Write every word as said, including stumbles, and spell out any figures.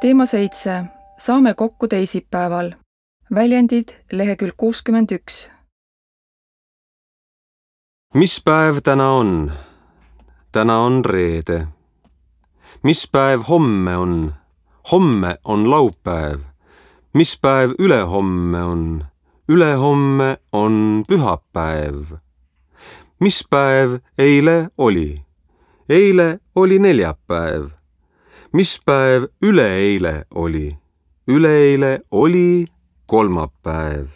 Teema seitse. Saame kokku teisipäeval. Väljendid lehekülg kuuskümmend üks. Mis päev täna on? Täna on reede. Mis päev homme on? Homme on laupäev. Mis päev ülehomme on? Ülehomme on pühapäev. Mis päev eile oli? Eile oli neljapäev. Mis päev üleeile oli? Üleeile oli kolmapäev.